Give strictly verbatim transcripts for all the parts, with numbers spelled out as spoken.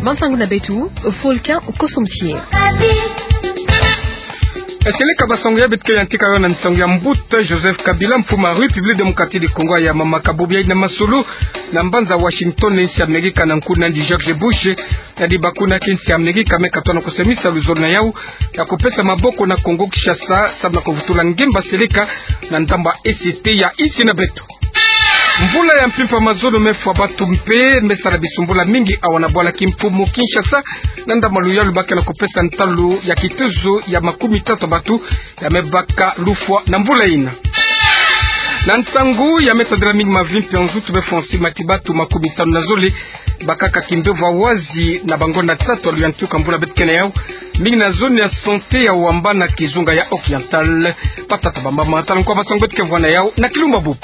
Mansangu na beto, Volcan Kosomsie. Esele ka basangu ya beto ke yantika yo na nsangu ya mbuta Joseph Kabila, mfumu a République Démocratique du Congo, ya mamaka bubu yayi na masolo na mbanza Washington, na insi Amerika, na nkundu andi George Bush, yandi bakuna ke insi Amerika me katona kusemisa luzolo na yau ya kupesa maboko na Congo Kinshasa, samu na kuvutula ngemba seleka na ndambu a E C T ya insi na beto. Mvula ya mpimpa mazono mefwa batu mpe mesala bisumbula mingi awa na bwala kimpumu Kinshasa, na ndambu a luyalu ba ke na kupesa ntalu ya kituzu ya makumi tatu batu ya mebaka lufwa na mvula ina. Na nsangu ya metadila mingi mavi mpe nzutu, befwa nsi mati batu makumi tanu na zole bakaka kimbevo wazi na bangonda tatu a luyantika mvula beto ke na yau, mingi na zone ya santé ya Wamba na kizunga ya Oriental. Batata, bamama, tala nkwa basangu beto ke vwa na yau na kilumbu bubu.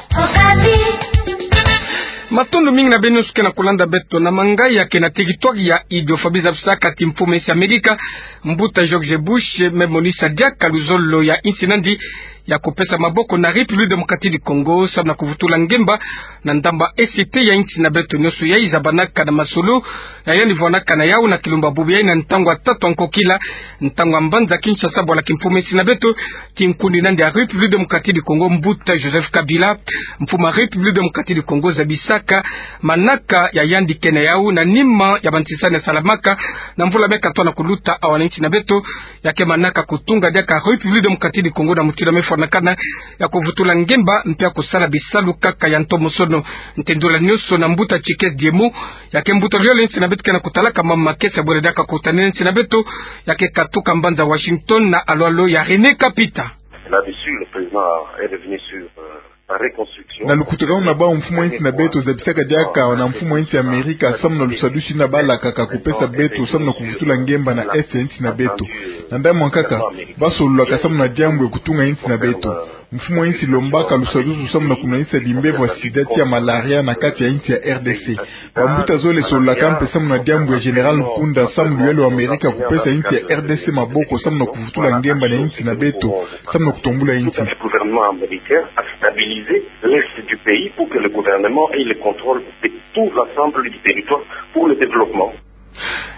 Matondo mingi na beno nyonso ke na kulanda beto na manga ya ke na territoire ya Idiofa. Biza bisaka ti mfumu a insi Amerika, mbuta George Bush, me monisa diaka luzolo ya insi nandi ya kupesa maboko na République Démocratique du Congo, samu na kuvutula ngemba na ndambu a E C T ya insi na beto. Nyonso yayi zabanaka na masolo ya yandi vwanaka na yau na kilumbu bubu yayi na ntangu a tatu a nkokila, ntangu a mbanza Kinshasa, bwala kimfumu a insi na beto, kinkundi nandi a République Démocratique du Congo, mbuta Joseph Kabila. Mfumu a République Démocratique du Congo zabisaka manaka ya yandi ke na yau na nima ya bantisani ya salamaka na mvula me katona kuluta awa na insi na beto, ya ke manaka kutunga diaka République Démocratique du Congo na mutindu mefwanakana, ya kuvutula ngemba mpe ya kusala bisalu kaka ya ntomosono. Ntendula nyonso na mbuta Tshikezi Diemo, ya ke mbuta luyolo ya insi na beto ke na kutalaka mambu makesa bwele diaka kutanina insi na beto, ya ke katuka mbanza Washington na alwalo ya René Kapita. Là-dessus, le président est revenu sur, euh, la reconstruction. Na lukutakanu na bau, mfumu a insi na beto zabisaka diaka na mfumu a insi Amerika samu na lusadusu yina balakaka kupesa beto samu na kuvutula ngemba na est ya insi na beto. Na ndambu ya nkaka, basololaka samu na diambu ya kutunga insi na beto. Mfumu a insi lombaka lusadusu samu na kunwanisa bimbevo ya sida ti ya malaria na kati ya insi ya R D C. Bambuta zole sololaka mpe samu na diambu ya Général Nkunda, samu luyolo ya Amerika kupesa insi ya R D C maboko samu na kuvutula ngemba na insi na beto, samu na kutombula insi. Tout à fait, le gouvernement américain a stabilisé l'est du pays pour que le gouvernement ait le contrôle de tout l'ensemble du territoire pour le développement.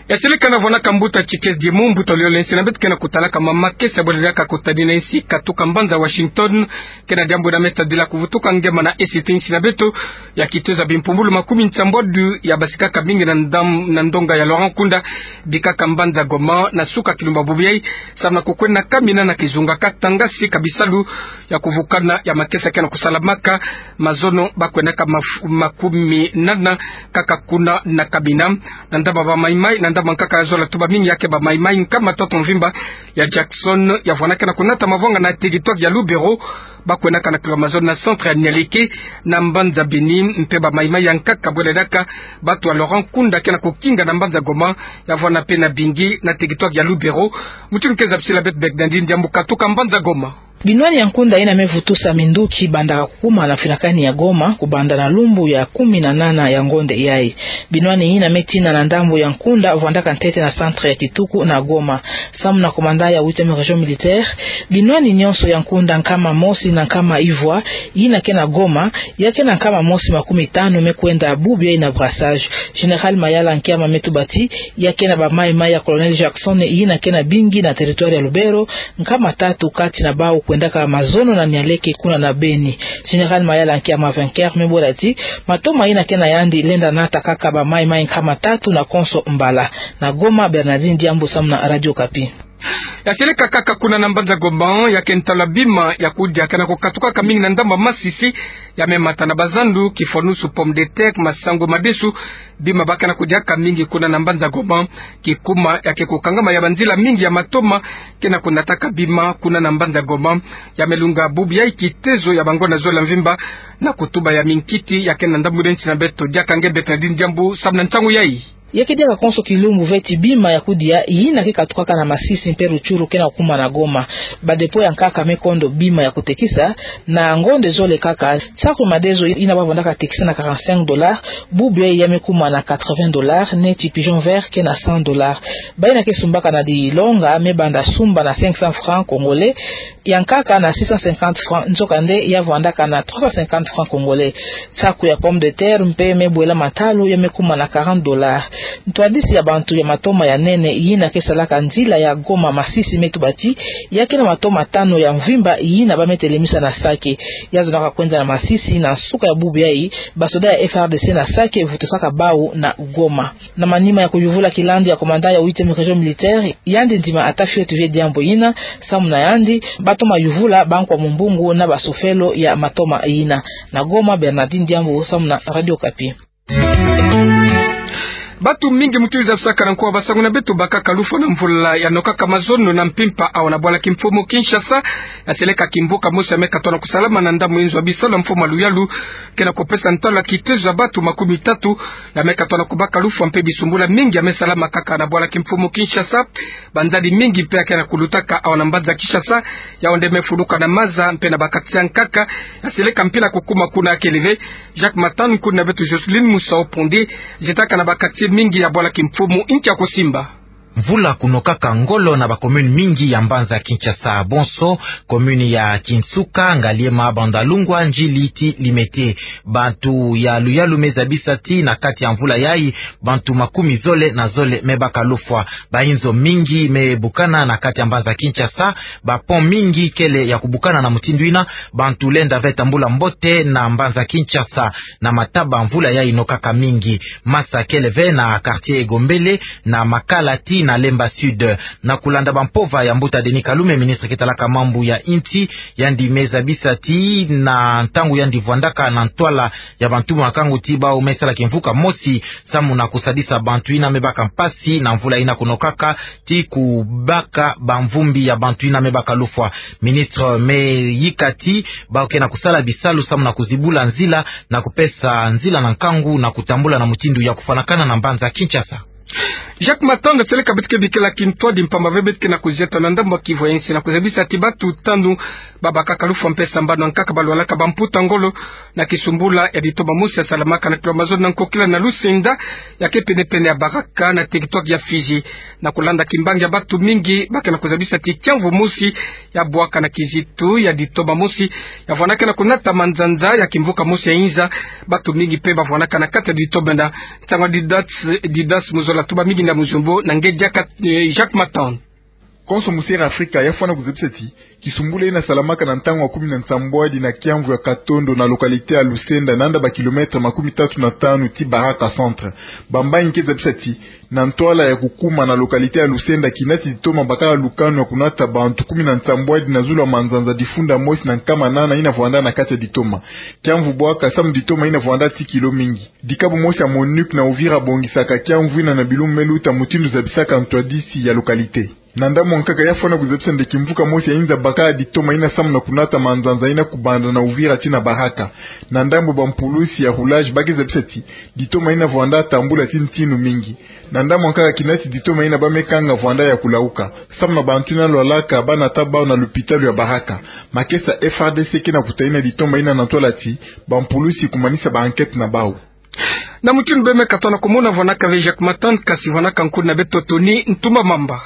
Ya seleka na vwanaka mbuta Tshikezi Diemo, mbuta luyolo ya insi na beto ke na kutalaka mambu makesa bwele diaka kutanina insi katuka mbanza Washington, ke na diambu yina metadila kuvutuka ngemba na est ya insi na beto, ya kituza bimpumbulu makumi nsambwadu ya basikaka mingi na ndam-, na ndonga ya Laurent Nkunda, bikaka mbanza Goma na suka kilumbu bubu yayi, samu na kukwenda kamina na kizunga Katanga, sika bisalu ya kuvukana ya makesa ke na kusalamaka. Mazono bakwendaka maf-, makumi nana kaka kuna na kamina. Na ndambu a ba Maï-Maï, na ndambu a nkaka ya zola tuba mingi, ya ke ba Maï-Maï nkama tatu mvimba ya Jackson, ya vwanaka na kunata mavwanga na territoire ya Lubero, bakwendaka na kilo mazono na centre ya Nialeke na mbanza Beni, mpe ba Maï-Maï ya nkaka bwele diaka batu ya Laurent Nkunda ke na kukinga na mbanza Goma, ya vwana mpe na bingi na territoire ya Lubero. Mutindu ke zabisila beto Bernardine Diambu katuka mbanza Goma. Binwani ya Nkunda yina mevutusa minduki bandaka kukuma na finakani ya Goma, kubanda na lumbu ya kumi na nana ya ngonde yayi. Binwani yina metina na ndambu ya Nkunda, vwandaka ntete na centre ya Kituku na Goma. Samu na commandant ya huitième région militaire, binwani nyonso ya Nkunda nkama mosi na nkama ivwa yina ke na Goma, ya ke na nkama mosi makumi tanu mekwenda bubu yayi na brassage. Général Mayala Nkiama metuba ti ya ke na ba Maï-Maï ya Colonel Jackson yina ke na bingi na territoire ya Lubero, nkama tatu kati na bau kwendaka mazono na Nialeke kuna na Beni. Général Mayala Nkiama vainqueur mebola ti matoma yina ke na yandi lenda nata kaka ba Maï-Maï nkama tatu na konso mbala. Na Goma, Bernardine Diambu samu na Radio Okapi. Ya seleka kaka kuna na mbanza Goma, ya ke ntalu ya bima ya kudia ke na kukatukaka mingi na ndambu ya Masisi, ya memata na bazandu, kifwanusu, pomme de terre, masangu, madesu, bima ba ke na kudiaka mingi kuna na mbanza Goma. Kikuma ya ke kukangama ya banzila mingi ya matoma ke na kunataka bima kuna na mbanza Goma, ya melunga bubu yayi kitezo ya bangonda zola mvimba na kutuba ya minkiti ya ke na ndambu ya insi na beto. Diaka nge Bernardine Diambu samu na ntangu yayi. Ya ke diaka konso kilumbu ve ti bima ya kudia yina ke katukaka na Masisi mpe Rutshuru ke na kukuma na Goma. Ba dépôt ya nkaka me kondo bima ya kutekisa na ngonde zole kaka. Saku ya madezo yina ba vandaka tekisa na quarante-cinq dollars, bubu yayi ya me kuma na quatre-vingts dollars, neti pigeon vert ke na cent dollars. Bayina ke sumbaka na dilonga me banda sumba na cinq cents francs congolais, ya nkaka na six cent cinquante francs, nzokande ya vandaka na trois cent cinquante francs congolais. Saku ya pomme de terre mpe me bwela matalu ya me kuma na quarante dollars. Ntwadisi ya bantu ya matoma ya nene yina ke salaka nzila ya Goma Masisi me tuba ti ya ke na matoma tanu ya mvimba yina ba me telemisa na saki. Ya zonaka kwenda na Masisi na nsuka ya bubu yayi, basoda ya F R D C na saki vutusaka bawu na Goma. Na manima ya kuyuvula kilandu ya commandant ya huitième région militaire, yandi ndima ata fioti ve diambu yina, samu na yandi ba toma yuvula bankwa mumbungu na basufelo ya matoma yina. Na Goma, Bernardine Diambu, samu na Radio Okapi. Bantu mingi mutindu zabisaka na nko wa basangu na beto bakaka lufwa na mvula ya nokaka mazono na mpimpa awa na bwala kimfumu Kinshasa, ya seleka kimvuka mosi ya me katona kusalama na ndambu inzo ya bisalu ya mfumu Luyalu, ke na kupesa ntwala kitezo ya bantu makumi tatu ya me katona kubaka lufwa mpe bisumbula mingi ya me salama kaka na bwala kimfumu Kinshasa. Banzadi mingi mpe ya ke na kulutaka awa na mbanza Kinshasa, yawu nde me fuluka na maza mpe na ba quartier ya nkaka ya seleka mpila kukuma kuna ya kele ve. Jacques Matand, nkuna beto Jocelyne Musau Ponde, zietaka na ba quartier mingi ya bwala kimfumu nki ya kusimba. Mvula kunokaka ngolo na ba commune mingi ya mbanza Kinshasa. Bonso commune ya Kinsuka, Ngaliema, Bandalungwa, Ndjili ti Limete. Bantu ya Luyalu me zabisa ti na kati ya mvula yayi, bantu makumi zole na zole me baka lufwa. Ba inzo mingi me bukana na kati ya mbanza Kinshasa. Ba pont mingi kele ya kubukana. Na mutindu yina, bantu lenda ve tambula mbote na mbanza Kinshasa. Na mataba, mvula yayi nokaka mingi. Masa kele ve na quartier Egombele, na Makala ti na Lemba Sud. Na kulanda bampova ya mbuta Denis Kalume, ministre ke talaka mambu ya insi, yandi me zabisa ti na ntangu yandi vwandaka na ntwala ya bantu, makangu ti bawu me sala kimvuka mosi samu na kusadisa bantu yina me baka mpasi na mvula yina kunokaka, ti kubaka bamvumbi ya bantu yina me baka lufwa. Ministre me yika ti bawu ke na kusala bisalu samu na kuzibula nzila, na kupesa nzila na nkangu na kutambula na mutindu ya kufwanakana na mbanza Kinshasa. Jacques Matand, seleka beto ke bikila kintwadi mpamba ve beto ke na kuzieta na ndambu ya kivu ya insi na kuzabisa ti bantu tanu ba bakaka lufwa mpe sambanu ya nkaka ba lwalaka bamputa ngolo na kisumbula ya ditoma mosi ya salamaka na kilo mazono na nkokila na Lusenda, ya ke pene-pene ya Baraka na territoire ya Fidji. Na kulanda kimbangi ya bantu mingi, ba ke na kuzabisa ti kiamvu mosi ya bwaka na kizitu ya ditoma mosi ya vwanaka na kunata manzanza ya kimvuka mosi ya inza. Bantu mingi mpe ba vwanaka na kati ya ditoma na ntangu ya Didas, Didas Muzola Tuba, mingi na Muzombo, na nge diaka, eh, Jacques Matand. Konso musi Air Africa ya fwana kuzabisa ti kisumbula yina salamaka na ntangu ya kumi na nsambwadi na kiamvu ya katondo na localité ya Lusenda, nanda ba kilomètre makumi tatu na tanu ti Baraka centre. Bambangi ke zabisa ti na ntwala ya kukuma na localité ya Lusenda, kinati ditoma bakala lukanu ya kunata bantu kumi na nsambwadi na zulu ya manzanza difunda mosi na nkama nana yina vwanda na kati ya ditoma. Kiamvu bwaka samu ditoma yina vwanda ti kilo mingi. Dikabu mosi ya MONUC na Uvira bongisaka kiamvu yina na bilumbu me luta, mutindu zabisaka ntwadisi ya localité. Na ndambu ya nkaka ya fwana kuzabisa nde kimvuka mosi ya inza bakala ditoma yina samu na kunata manzanza yina kubanda na Uvira tii na Baraka. Na ndambu ya bampulusi ya roulage ba ke zabisa ti ditoma yina vwanda tambula tii ntinu mingi. Na ndambu ya nkaka kinati ditoma yina ba me kanga vwanda ya kulauka samu na bantu yina lwalaka ba nata bawu na lupitalu ya Baraka. Makesa F R D C ke na kutayina ditoma yina na ntwala ti bampulusi kumanisa ba enquête na bawu. Na mutindu beno me katona kumona, vwanaka ve Jacques Matand, kasi vwanaka nkulu na beto Tony Ntumba Mamba.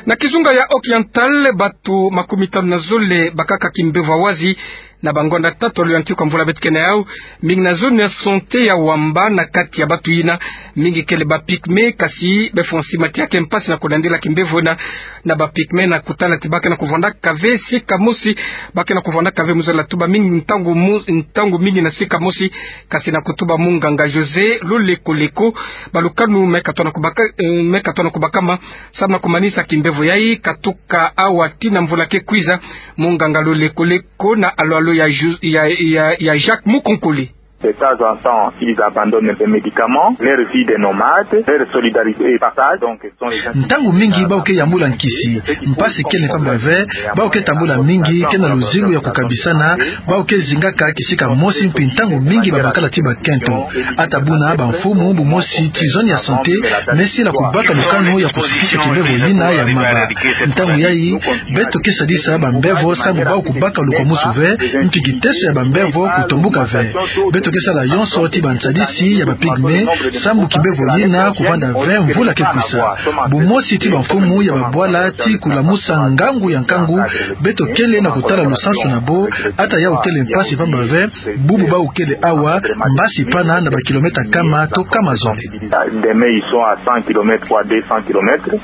Na kizunga ya Occidental, bantu makumi tanu na zole bakaka kimbevo ya wazi na bangonda tatu ya luyantiku ya mvula beto ke na yawu. Mingi na zone ya santé ya Wamba. Na kati ya bantu yina, mingi kele ba pygmées, kasi befo nsima ti ya ke mpasi na kulandila kimbevo yina na ba pygmées, na kutala ti ba ke na kuvwandaka ve sika mosi, ba ke na kuvwandaka ve, mu zola tuba, mingi ntangu mu-, ntangu mingi na sika mosi, kasi na kutuba munganga José Loleko Leko, balukanu me katona kubaka-, eh, me katona kubakama samu na kumanisa kimbevo yayi, katuka awa tii na mvula ke kwiza. Munganga Loleko Leko na alwalo ya Ju-, ya, ya, ya Jacques Mukonkole. De temps en temps, ils abandonnent les médicaments, leur vie de nomade, leur solidarité est partagée, donc ce sont les gens... Ntangu mingi bau ke yambula nkisi, mpasi kele mpamba ve, bau ke tambula mingi, ke na luzingu ya kukabisana, bau ke zingaka kisika mosi mpi ntangu mingi babakala ti bakento. Ata buna bamfumu, bu mosi ti zone ya santé, me sila kubaka lukanu ya kusukisa kimbevo yina ya maba. Ntangu yayi, beto ke sadisa bambevo sambu bau kubaka lukwamusu ve, mpi kiteso ya bambevo kutombuka ve. Beto ke sala yonso ti bansadisi ya ba pygmées, sambu kimbevo yina kuvanda ve mvula ke kwisa. Bu mosi ti bamfumu ya babwala ti kulamusa ngangu ya nkangu, beto kele na kutala lusansu na bo, ata yau kele mpasi mpamba ve, bubu bau kele awa, mbasi pana na bakilomètre kama to kama zole. Demain, ils sont à cent kilomètres, voire deux cents kilomètres.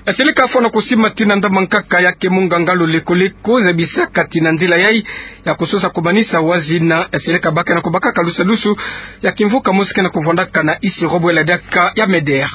Yaseleka fwana kusimatina ndambu ya nkaka ya ke munganga lo lekoleko, zabisaka ti na nzila yayi ya kusosa kumanisa wazina, yaseleka ba ke na kubakaka lusadusu ya kimvuka mosi ke na kuvwandaka na isi robo ya ladiaka ya MEDER.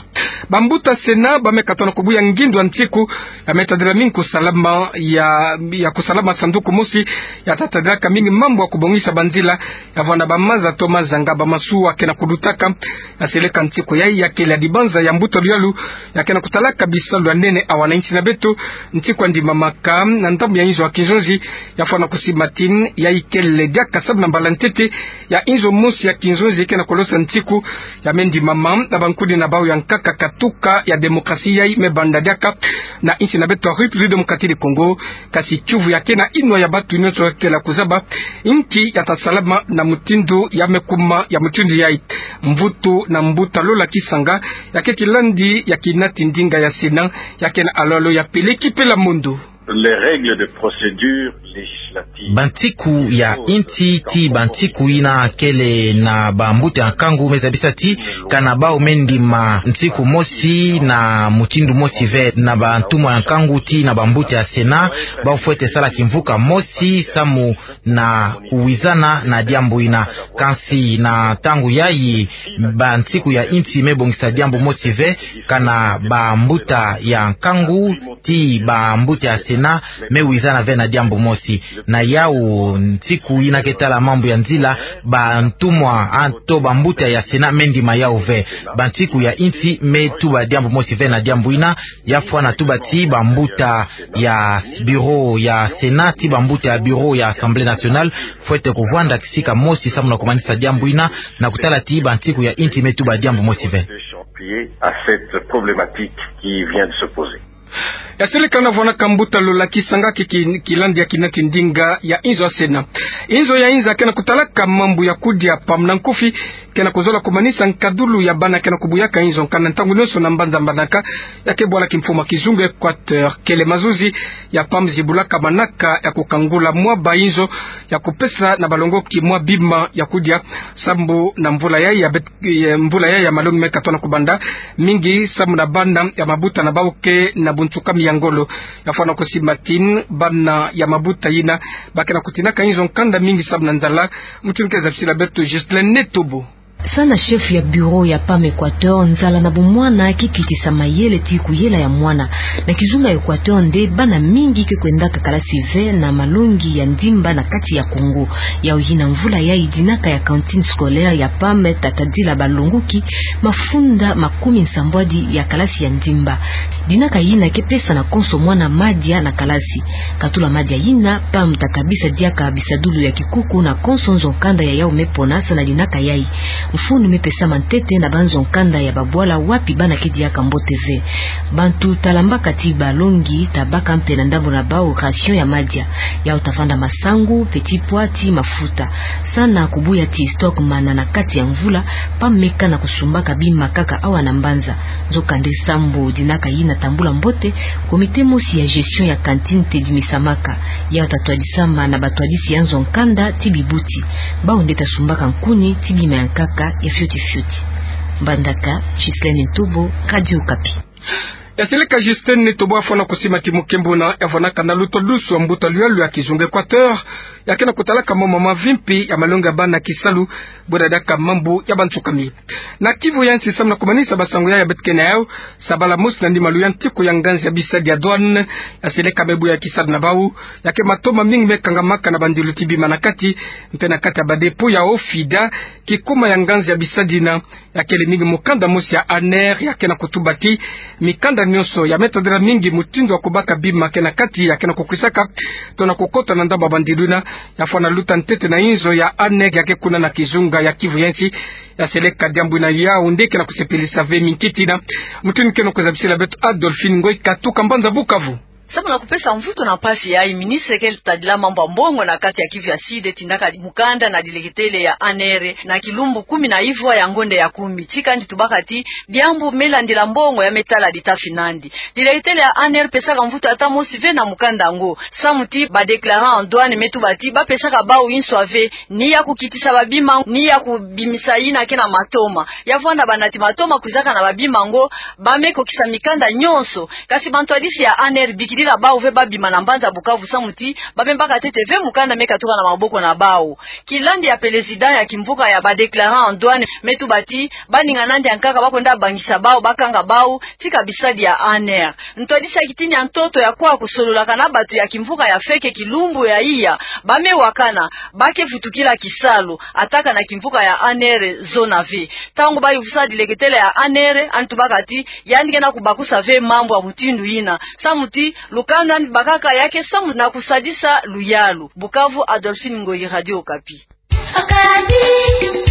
Bambuta Sénat ba me katona kubuya ngindu ya nsiku ya me tadila mingi kusalama ya, ya kusalama sanduku mosi ya tatadilaka mingi mambu ya kubongisa banzila ya vwanda bamaza to mazanga, bamasuwa ke na kulutaka. Yaseleka nsiku yayi ya kele ya dibanza ya mbuta luyalu ya ke na kutalaka bisalu ya nene awa na insi na beto. Nsiku ya ndimamaka na ndambu ya inzo ya kinzonzi ya fwana kusimatina, yayi kele diaka samu na mbala ntete ya inzo mosi ya kinzonzi ke na kulosa nsiku ya me ndimama na bankudina bau ya nkaka, katuka ya démocratie yayi me banda diaka na insi na beto ya République démocratique du Congo. Kasi kiuvu ya ke na inwa ya bantu nyonso ya kele ya kuzaba inki ya tasalama na mutindu ya me kuma ya mutindu yayi. Mvutu na mbuta Lola Kisanga ya ke kilandi ya kinati ndinga ya Sénat, ya ke na alolo ya peleki pela mondo. Les règles de procédure législative. Bansiku ya insi ti bansiku yina kele na bambuta ya nkangu me zabisa ti kana bau me ndima nsiku mosi na mutindu mosi ve na bantumwa ya nkangu ti na bambuta ya Sénat, bau fwete sala kimvuka mosi samu na kuwizana na diambu yina. Kansi na ntangu yayi, bansiku ya insi me bongisa diambu mosi ve, kana bambuta ya nkangu ti bambuta ya Sénat me wizana ve na diambu mosi. Na yau nsiku yina ke tala mambu ya nzila, bantumwa, ah, to bambuta ya Sénat me ndima yau ve. Bansiku ya insi me tuba diambu mosi ve na diambu yina, ya fwana tuba ti bambuta ya bureau ya Sénat, ti bambuta ya bureau ya Assemblée nationale, fwete kuvwanda kisika mosi samu na kumanisa diambu yina, na kutala ti bansiku ya insi me tuba diambu mosi ve. Yaseleka na vwanaka mbuta Lola Kisanga ke ki-, kilandi ya kinati ndinga ya inzo ya Sénat. Inzo ya inza ke na kutalaka mambu ya kudia PAM na nkufi, ke na kuzola kumanisa nkadulu ya bana ke na kubuyaka inzo nkanda ntangu nyonso na mbanza mbandaka, ya ke bwala kimfumu ya kizunga Équateur. Kele mazuzi ya PAM zibulaka manaka ya kukangula mwa ba inzo ya kupesa na balongoki mwa bima ya kudia, sambu na mvula yayi ya bet-, ya mvula yayi ya malongi me katona kubanda, mingi samu na bana ya mabuta na bau ke na buntukami ya ngolo. Ya fwana kusimatina bana ya mabuta yina ba ke na kutinaka inzo nkanda mingi samu na nzala. Mutindu ke zabisila beto Ghislain Netobo. Sana chef ya bureau ya PAM Équateur, nzala na bomwana ke kitisa mayele ti kuyela ya mwana. Na kizunga Équateur nde bana mingi ke kwendaka kalasi ve na malongi ya ndimba na kati ya Congo. Yau yina mvula yayi dinaka ya cantine scolaire ya PAM tatadila balongoki mafunda makumi nsambwadi ya kalasi ya ndimba. Dinaka yina ke pesa na konso mwana madia na kalasi. Katula madia yina, PAM takabisa diaka bisadulu ya kikuku na konso nzo nkanda ya yau me pona sana dinaka yayi. Mfunu me pesama ntete na banzo nkanda ya babwala wapi bana ke diaka mbote ve. Bantu talambaka ti balongi tabaka mpe na ndambu na bau ration ya madia. Yau tavanda masangu, petits pois ti mafuta. Sana kubuya ti stock mana na kati ya mvula, PAM me kana kusumbaka bima kaka awa na mbanza. Nzokande sambu dinaka yina tambula mbote, comité mosi ya gestion ya cantine tedimisamaka. Yau tatwadisama na batwadisi ya nzo nkanda ti bibuti. Bau nde tasumbaka nkuni ti bima ya nkaka ya fioti fioti. Mbandaka, Ghislain Netobo, Radio Okapi. Ya seleka Justin Nitobo afwana kusima ti mukembo na ya fwanaka na luta dusu ya mbuta luyalu ya kizunga Equateur, ya ke na kutalaka mambu mavi mpe ya malongi ya bana kisalu, bwe dadaka mambu ya bansukami. Na Kivu ya nsi, samu na kumanisa basango ya ya beto ke na yau, sabala mosi na nima luyantiku ya nganzi ya bisadi ya douane, ya seleka me buya kisalu na bau, ya ke matoma mingi me kangamaka na bandilu ti bima na kati, mpe na kati ya ba dépôt ya OFIDA, kikuma ya nganzi ya bisadi na ya kele mingi mukanda mosi ya ANR, ya ke na kutuba ti mikanda nyonso ya me tadila mingi mutindu ya kubaka bima ke na kati, ya ke na kukwisaka tona kukota na ndambu ya bandilu na ya fwana luta ntete na inzo ya ANR ya ke kuna na kizunga ya Kivu ya nsi. Ya seleka diambu ina yawu nde ke na kusepelisa ve minkiti na mutindu ke na kuzabisila beto Adolphine Ngoy Katuka, mbanza Bukavu. Samu na kupesa mvutu na mpasi yayi, ministre ke tadila mambu ya mbongo na kati ya Kivu ya Sud tindaka mukanda na dileketele ya ANR na kilumbu kumi na ivwa ya ngonde ya kumi. Tika ndi tubaka ti diambu me landila mbongo ya me tala dita finandi. Dileketele ya ANR pesaka mvutu ata mosi ve na mukanda yango, samu ti ba déclarant en douane me tuba ti ba pesaka bau inswa ve, ni ya kukitisa babima, ni ya kubimisa yina ke na matoma. Ya vwanda banati matoma kwizaka na babima yango, ba me kokisa mikanda nyonso. Kasi bantwadisi ya ANR bikidila bau ve ba bima na mbanza Bukavu, samu ti ba me baka ntete ve mukanda me katuka na maboko na bau. Kilandi ya pelezida ya kimvuka ya ba déclarant en douane me tuba ti ba ninga nandi ya nkaka ba kwenda bangisa bau, ba kanga bau, tika bisadi ya ANR. Ntwadisi ya kitini ya ntoto ya kwa kusololaka na batu ya kimvuka ya feke kilumbu ya iya, ba me wakana, ba ke vutukila kisalu, ataka na kimvuka ya ANR zona ve. Tango ba yuvusa dileketele ya ANR, yandi tubaka ti yandi ke na kubakusa ve mambu ya mutindu yina, samu ti lukanda yandi bakaka ya ke samu na kusadisa luyalu. Bukavu, Adolphine Ngoyi, Radio Okapi. Okapi.